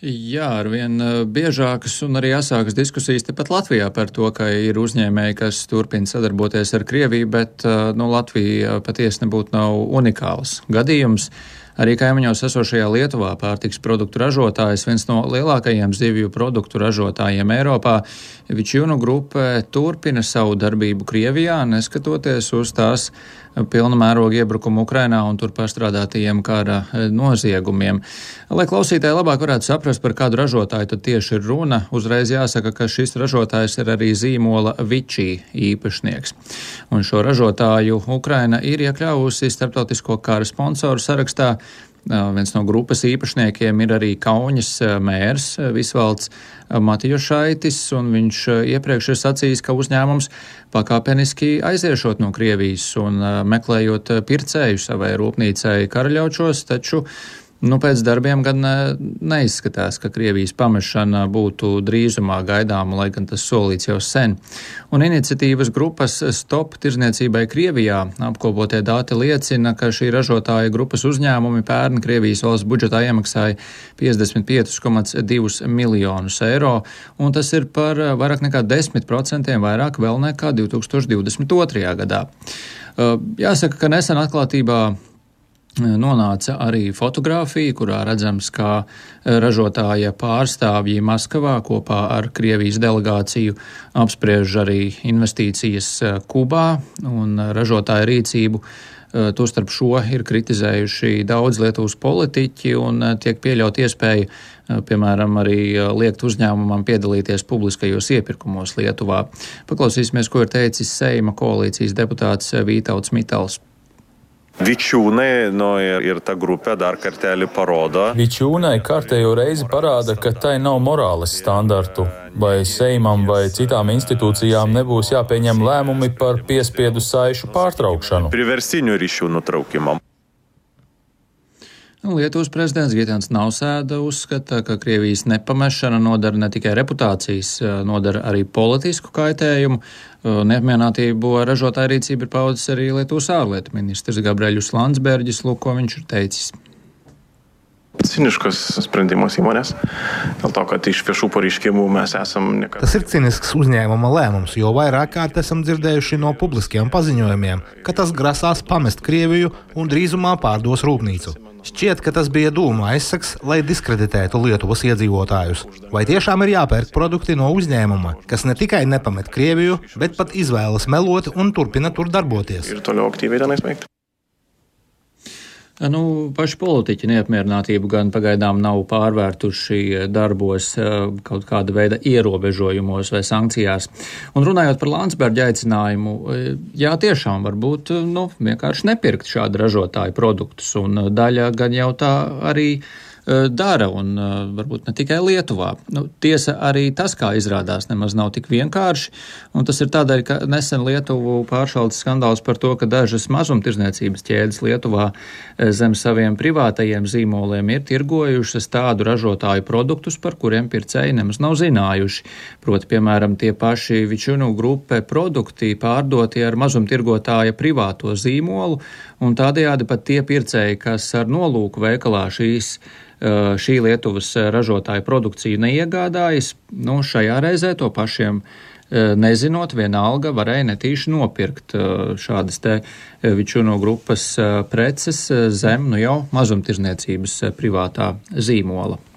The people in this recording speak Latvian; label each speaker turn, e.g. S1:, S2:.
S1: Jā, arvien biežākas un arī asākas diskusijas tepat Latvijā par to, ka ir uzņēmēji, kas turpina sadarboties ar Krieviju, bet Latvija patiesi nebūtu nav unikāls gadījums. Arī kaimiņos esošajā Lietuvā pārtiks produktu ražotājs, viens no lielākajiem zivju produktu ražotājiem Eiropā, Vičiūnu grupe turpina savu darbību Krievijā, neskatoties uz tās pilna mēroga iebrukumu Ukrainā un tur pastrādātajiem kara noziegumiem. Lai klausītāji labāk varētu saprast, par kādu ražotāju tad tieši ir runa, uzreiz jāsaka, ka šis ražotājs ir arī zīmola Vičī īpašnieks. Un šo ražotāju Ukraina ir iekļāvusi starptautisko kara sponsoru sarakstā. Viens no grupas īpašniekiem ir arī Kauņas mērs Visvalds Matijošaitis, un viņš iepriekš ir sacījis, ka uzņēmums pakāpeniski aiziešot no Krievijas un meklējot pircēju savai rūpnīcai Karaļaučos, taču pēc darbiem gan neizskatās, ka Krievijas pamešana būtu drīzumā gaidāma, lai gan tas solīts jau sen. Un iniciatīvas grupas Stop tirzniecībai Krievijā apkopotie dati liecina, ka šī ražotāja grupas uzņēmumi pērn Krievijas valsts budžetā iemaksāja 55,2 miljonus eiro, un tas ir par vairāk nekā 10% vairāk vēl nekā 2022. gadā. Jāsaka, ka nesen atklātībā nonāca arī fotografija, kurā redzams, kā ražotāja pārstāvji Maskavā kopā ar Krievijas delegāciju apspriež arī investīcijas Kubā un ražotāja rīcību. Tostarp šo ir kritizējuši daudz Lietuvas politiķi un tiek pieļaut iespēju, piemēram, arī liekt uzņēmumam piedalīties publiskajos iepirkumos Lietuvā. Paklausīsimies, ko ir teicis Seima koalīcijas deputāts Vytauts Mitals.
S2: Vičiūnai ir ta grupė dar kartelį parodo.
S3: Vičiūnai kārtējo reizi parāda, ka tai nav morāles standartu. Vai Seimam vai citām institūcijām nebūs jāpieņem lēmumi par piespiedu saišu pārtraukšanu.
S2: Priverstiniu ryšių nutraukimam.
S1: Lietuvas prezidents Gitaņs Nausēda uzskata, ka Krievijas nepamešana nodara ne tikai reputācijas, nodara arī politisku kaitējumu. Neapmierinātību ar ražotāju rīcību ir paudzis arī Lietuvas ārlietu ministrs Gabrielius Landsbergis, lūk, ko viņš ir teicis.
S4: Ciniškas sprendimas įmonės, dėl to, kad iš viešų pareiškimų mes esam nekad.
S5: Tas ir cinisks uzņēmuma lēmums, jo vairāk kārt esam dzirdējuši no publiskiem paziņojumiem, ka tas grasās pamest Krieviju un drīzumā pārdos rūpnīcu. Šķiet, ka tas bija dūma aizsaks, lai diskreditētu Lietuvas iedzīvotājus. Vai tiešām ir jāpērk produkti no uzņēmuma, kas ne tikai nepamet Krieviju, bet pat izvēlas melot un turpina tur darboties?
S4: Ir toliau aktīvi tenais veikti.
S1: Paši politiķi neapmierinātību gan pagaidām nav pārvērtuši darbos kaut kāda veida ierobežojumos vai sankcijās. Un runājot par Landsberga aicinājumu, jā, tiešām varbūt vienkārši nepirkt šādu ražotāju produktus, un daļa gan jau tā arī dara, un varbūt ne tikai Lietuvā. Tiesa arī tas, kā izrādās, nemaz nav tik vienkārši, un tas ir tādēļ, ka nesen Lietuvu pāršalts skandāls par to, ka dažas mazumtirdzniecības ķēdes Lietuvā zem saviem privātajiem zīmoliem ir tirgojušas tādu ražotāju produktus, par kuriem pircēji nemaz nav zinājuši. Proti, piemēram, tie paši Vičiūnu grupe produkti pārdoti ar mazumtirgotāja privāto zīmolu, un tādējādi pat tie pircēji, kas ar nolūku veikalā šī Lietuvas ražotāja produkciju neiegādājas, šajā reizē to pašiem nezinot, vienalga varēja netīši nopirkt šādas te Vičiūnu grupas preces zem jau mazumtirdzniecības privātā zīmola.